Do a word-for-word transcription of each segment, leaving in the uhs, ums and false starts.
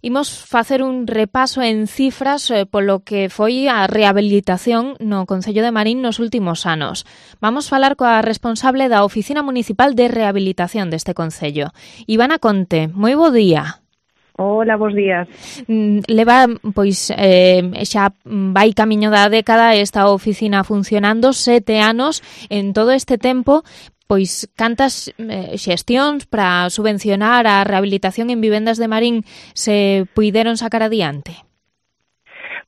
Imos facer un repaso en cifras eh, polo que foi a rehabilitación no Concello de Marín nos últimos anos. Vamos falar coa responsable da Oficina Municipal de Rehabilitación deste Concello. Ivana Conte, moi bo día. Hola, bons días. Leva, pois, eh, xa vai camiño da década esta oficina funcionando, sete anos. En todo este tempo, pois, cantas eh, xestións para subvencionar a rehabilitación en vivendas de Marín se puideron sacar adiante?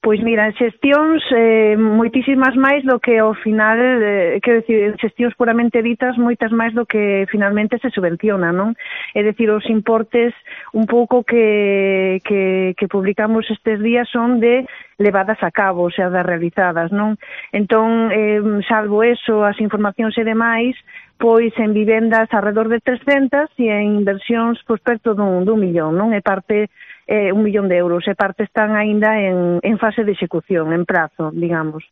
Pois mira, xestións eh, moitísimas máis do que ao final, eh, quero dicir, xestións puramente ditas, moitas máis do que finalmente se subvenciona, non? É dicir, os importes un pouco que, que, que publicamos estes días son de levadas a cabo, o sea, das realizadas, non? Entón, eh, salvo eso, as informacións e demais, pois en vivendas alrededor de trescentas e en inversións pois perto dun, dun millón, non? É parte eh, un millón de euros, e parte están aínda en, en fase de execución, en prazo, digamos.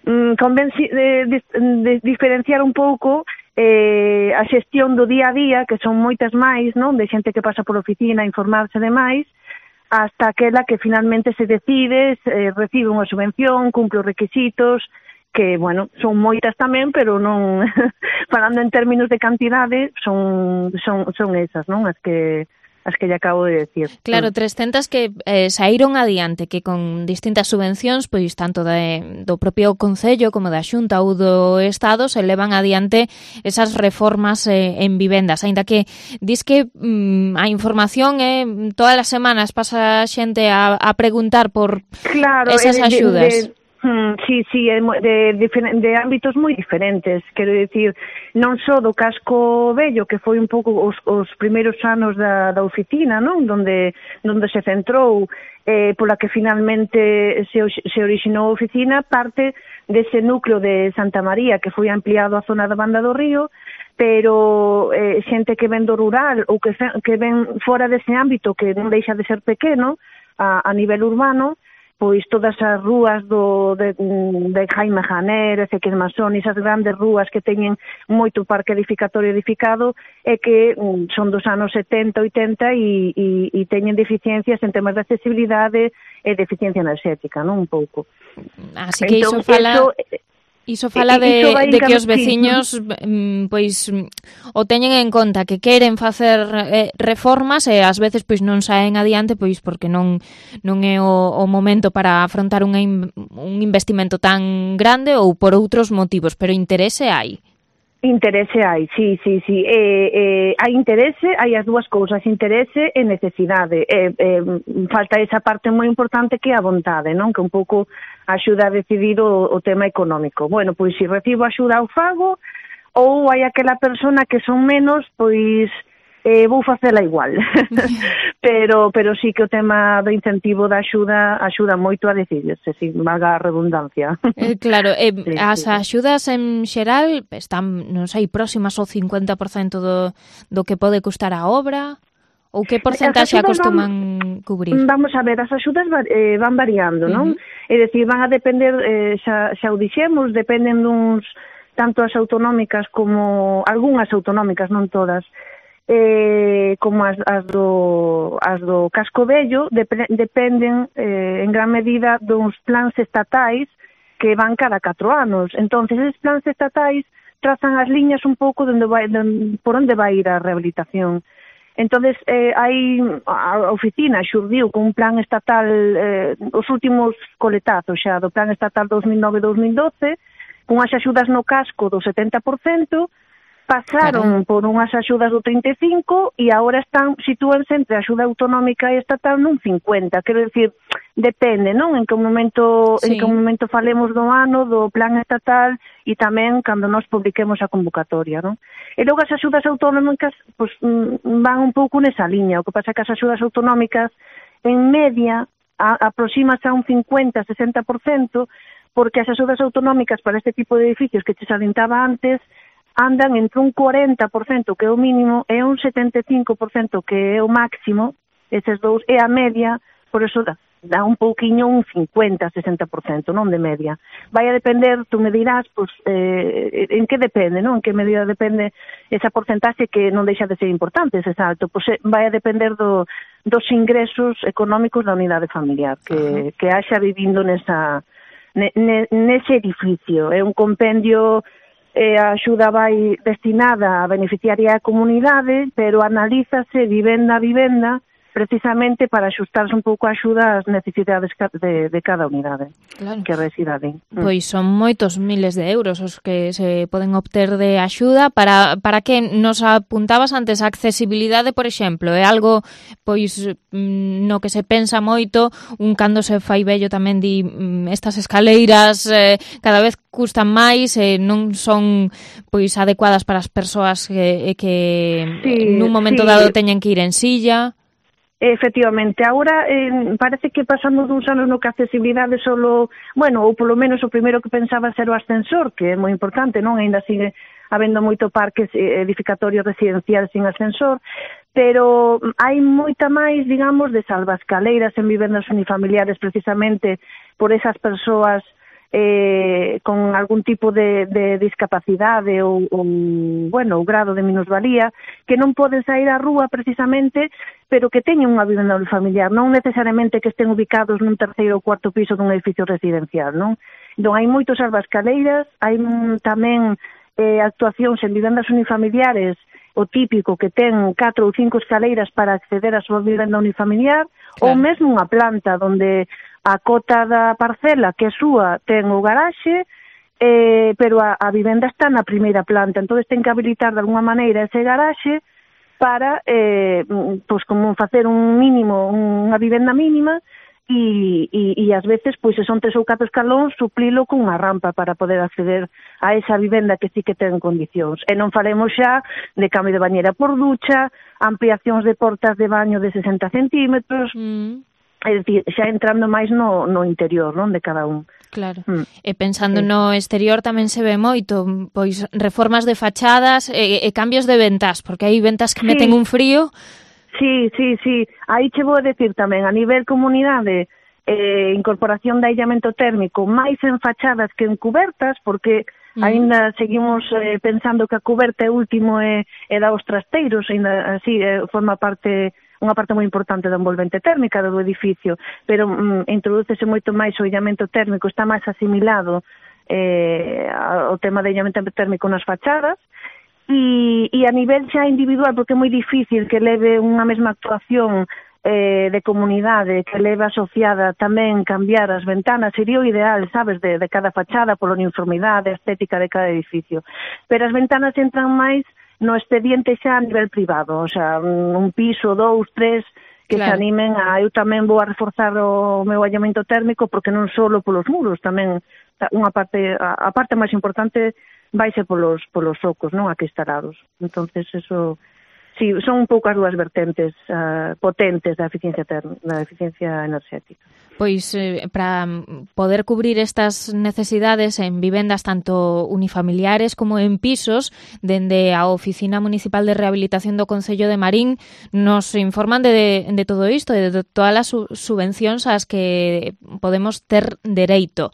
Mm, conven de, de, de diferenciar un pouco eh, a xestión do día a día, que son moitas máis, non? De xente que pasa por oficina a informarse de máis, hasta aquela que finalmente se decide, eh, recibe unha subvención, cumpre os requisitos, que, bueno, son moitas tamén, pero non, falando en términos de cantidade, son, son, son esas, non? As que as que lle acabo de decir. Claro, trescentas que eh, saíron adiante, que con distintas subvencións, pois tanto de, do propio Concello como da Xunta ou do Estado, se levan adiante esas reformas eh, en vivendas, aínda que dis que mm, a información é eh, todas as semanas pasa xente a, a preguntar por claro, esas de, axudas. De, de... Hmm, sí, sí, de, de, de ámbitos moi diferentes, quero dicir, non só do casco vello, que foi un pouco os, os primeiros anos da, da oficina, non? Donde, donde se centrou, eh, pola que finalmente se, se orixinou a oficina, parte dese núcleo de Santa María, que foi ampliado a zona da Banda do Río, pero eh, xente que ven do rural ou que, que ven fora dese ámbito, que non deixa de ser pequeno a, a nivel urbano, pois todas as rúas do, de, de Jaime Janer, Ezequiel Masón, esas grandes rúas que teñen moito parque edificatorio edificado e que mm, son dos anos setenta, oitenta e, e, e teñen deficiencias en temas de accesibilidade e de eficiencia enerxética, non? Un pouco. Así que entón, iso fala... Eso, Iso fala de, de que os veciños sí. pois o teñen en conta, que queren facer eh, reformas e ás veces pois non saen adiante pois porque non non é o, o momento para afrontar unha, un investimento tan grande ou por outros motivos, pero interese hai. Interese hai, sí, sí, sí. Eh, eh, hai interese, hai as dúas cousas, interese e necesidade. Eh, eh, falta esa parte moi importante que é a vontade, non? Que un pouco axuda a decidir o, o tema económico. Bueno, pois se recibo axuda ao fago, ou hai aquela persona que son menos, pois eh, vou facela igual. pero pero sí que o tema do incentivo da axuda axuda moito a decidirse, si valga a redundancia. Eh, claro, eh, sí, as sí. axudas en xeral están, non sei, próximas ao cincuenta por cento do, do que pode custar a obra? Ou que porcentaxe acostuman van, cubrir? Vamos a ver, as axudas eh, van variando, non? Uh-huh. É dicir, van a depender, eh, xa, xa o dixemos, dependen duns, tanto as autonómicas como, algunhas autonómicas, non todas, eh, como as, as, do, as do casco vello, dep dependen eh, en gran medida duns plans estatais que van cada catro anos. Entonces, esos plans estatais trazan as liñas un pouco donde vai, donde, por onde vai ir a rehabilitación. Entonces, eh, hai a oficina xurdiu con un plan estatal, eh, os últimos coletazos xa do plan estatal dos mil nove a dos mil doce, con as axudas no casco do setenta por cento, pasaron Carai. por unhas axudas do trinta e cinco por cento e agora están, sitúanse entre a axuda autonómica e estatal nun cincuenta por cento. Quero dicir, depende, non? En que momento, sí. en que momento falemos do ano, do plan estatal e tamén cando nos publiquemos a convocatoria, non? E logo as axudas autonómicas pues, van un pouco nesa liña. O que pasa é que as axudas autonómicas en media aproxímase a un cincuenta a sesenta por cento porque as axudas autonómicas para este tipo de edificios que te salientaba antes andan entre un cuarenta por cento que é o mínimo e un setenta e cinco por cento que é o máximo, eses dous, é a media, por eso dá un pouquiño un cincuenta, sesenta por cento, non de media. Vai a depender, tú me dirás, pues, eh, en que depende, non? En que medida depende esa porcentaxe que non deixa de ser importante, ese salto. Pues eh, vai a depender do, dos ingresos económicos da unidade familiar que, que haxa vivindo nesa, ne, ne, nese edificio. É un compendio, eh, a axuda vai destinada a beneficiaria a comunidade, pero analízase vivenda a vivenda precisamente para axustarse un pouco a axuda ás necesidades de, de cada unidade, claro, que reside ali. Pois son moitos miles de euros os que se poden obter de axuda. Para, para que nos apuntabas antes, a accesibilidade, por exemplo, é algo pois no que se pensa moito, un cando se fai vello tamén di estas escaleiras eh, cada vez custan máis e eh, non son pois adecuadas para as persoas que, que sí, nun momento sí. dado teñen que ir en silla. Efectivamente, agora eh, parece que pasamos duns anos no que a accesibilidade solo, bueno, ou polo menos o primeiro que pensaba ser o ascensor, que é moi importante, non? Ainda sigue habendo moito parques edificatorios residenciais sin ascensor, pero hai moita máis, digamos, de salvascaleiras en vivendas unifamiliares precisamente por esas persoas eh, con algún tipo de, de discapacidade ou, ou, bueno, o grado de minusvalía, que non poden sair á rúa precisamente, pero que teñen unha vivenda unifamiliar, non necesariamente que estén ubicados nun terceiro ou cuarto piso dun edificio residencial, non? Entón, hai moitos salvascaleiras, hai tamén eh, actuacións en vivendas unifamiliares, o típico que ten catro ou cinco escaleiras para acceder á súa vivenda unifamiliar, claro, ou mesmo unha planta onde a cota da parcela que é súa ten o garaxe, eh, pero a, a vivenda está na primeira planta, entón ten que habilitar de alguna maneira ese garaxe para, eh, pois como facer un mínimo, unha vivenda mínima, e, e, e ás veces, pois se son tres ou catro escalóns, suplilo con unha rampa para poder acceder a esa vivenda que sí que ten condicións. E non falemos xa de cambio de bañera por ducha, ampliacións de portas de baño de sesenta centímetros, mm. é dicir, xa entrando máis no, no interior, non, de cada un. Claro, mm. e pensando sí. no exterior tamén se ve moito, pois reformas de fachadas e, e cambios de ventas, porque hai ventas que sí. meten un frío. Sí, sí, sí, aí che vou a decir tamén, a nivel comunidade, eh, incorporación de aillamento térmico, máis en fachadas que en cubertas, porque mm. aínda seguimos eh, pensando que a cuberta é último e, e da os trasteiros, aínda así eh, forma parte, unha parte moi importante da envolvente térmica do edificio, pero mm, introdúcese moito máis o aillamento térmico, está máis asimilado eh, ao tema de aillamento térmico nas fachadas. E, e a nivel xa individual, porque é moi difícil que leve unha mesma actuación eh, de comunidade, que leve asociada tamén cambiar as ventanas, sería o ideal, sabes, de, de cada fachada, pola uniformidade estética de cada edificio. Pero as ventanas entran máis no expediente xa a nivel privado, o sea, un piso, dous, tres, que claro. se animen a... Eu tamén vou a reforzar o meu aillamento térmico, porque non só polos muros, tamén unha parte, a, a parte máis importante vai ser polos, polos socos, non, aquí instalados. Entonces, eso, sí, son un pouco as dúas vertentes uh, potentes da eficiencia term, da eficiencia enerxética. Pois, eh, para poder cubrir estas necesidades en vivendas tanto unifamiliares como en pisos, dende a Oficina Municipal de Rehabilitación do Concello de Marín nos informan de, de todo isto, de todas as subvencións ás que podemos ter dereito,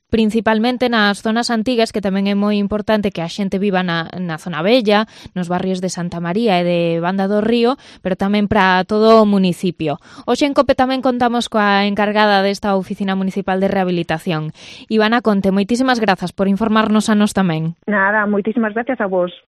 principalmente nas zonas antigas, que tamén é moi importante que a xente viva na, na zona bella, nos barrios de Santa María e de Banda do Río, pero tamén para todo o municipio. Hoxe en COPE tamén contamos coa encargada desta Oficina Municipal de Rehabilitación. Ivana Conte, moitísimas grazas por informarnos a nos tamén. Nada, moitísimas gracias a vos.